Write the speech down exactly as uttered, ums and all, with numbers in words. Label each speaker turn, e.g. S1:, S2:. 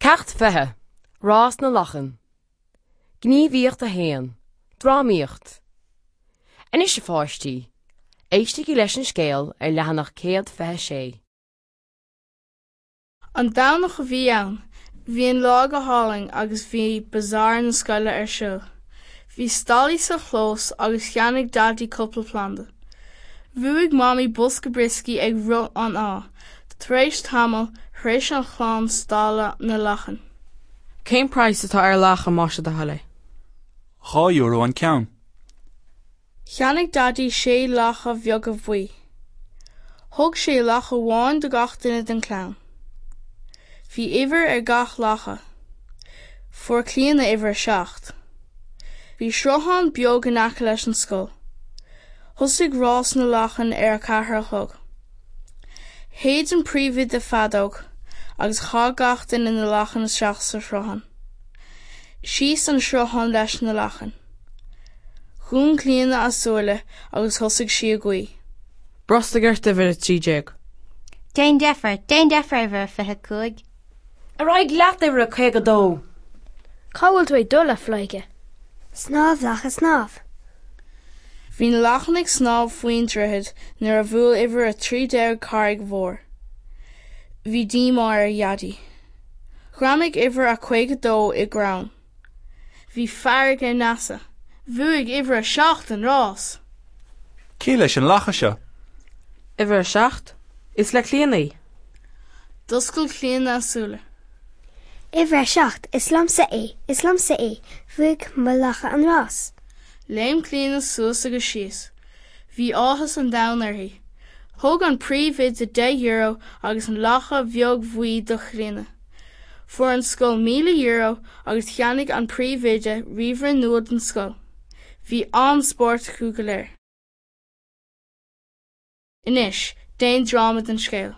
S1: Ceacht fiche, Rás na Lachan. Gníomhaíocht a haon, Drámaíocht. Anois a pháistí, éistigí leis an scéal ar leathanach céad fiche sé.
S2: An Domhnach a bhí ann. Bhí an lá go hálainn agus bhí bazaar na scoile ar siúl. Bhí stallaí sa chlós agus cheannaigh Daidí cúpla planda. Bhuaigh Mamaí bosca brioscaí ag rith an ádha. Tar éis tamaill, shroich an chlann stalla na lachan.
S3: Cén praghas atá ar lacha más é do thoil é?
S4: Dhá euro an ceann.
S2: Cheannaigh Daidí sé lacha bheaga bhuí. Thug sé lacha amháin do gach duine den chlann. Bhí uimhir ar gach lacha. Fuair Clíona uimhir a seacht. Bhí sruthán beag in aice leis an scoil. Thosaigh rás na lachan ar a ceathair a chlog. Shéid an príomhoide feadóg agus chaith gach duine na lachain isteach sa sruthán. Síos an sruthán leis na lachain. Dhún Clíona a súile agus thosaigh sí ag guí.
S3: Brostaigh ort uimhir a trí déag.
S5: Déan deifir, déan deifir uimhir a fiche cúig.
S1: Ar aghaidh leat uimhir a caoga dó.
S6: Cá bhfuil tú ag dul a phleidhce?
S7: Snámh lacha snámh.
S2: Bhí na lachain ag snámh faoin droichead nuair a bhuail uimhir a trí déag carraig mhór. Bhí díomá ar Dhaidí. Ghreamaigh uimhir a caoga dó i gcrann. Bhí fearg ar Neasa. Bhuaigh uimhir a seacht an rás.
S4: Cé leis an lacha seo?
S3: Uimhir a seacht? Is le Clíona í.
S2: D'oscail Clíona a súile.
S7: Uimhir a seacht, is liomsa é, is liomsa é, bhuaigh mo lacha an rás.
S2: Léim Clíona suas agus síos. Bhí áthas an domhain uirthi. Thug an príomhoide deich euro agus an lacha bheag bhuí do Chlíona. Fuair an scoil míle euro agus cheannaigh an príomhoide ríomhaire nua don scoil. Bhí an-spórt acu go léir. Anois, déan dráma den scéal.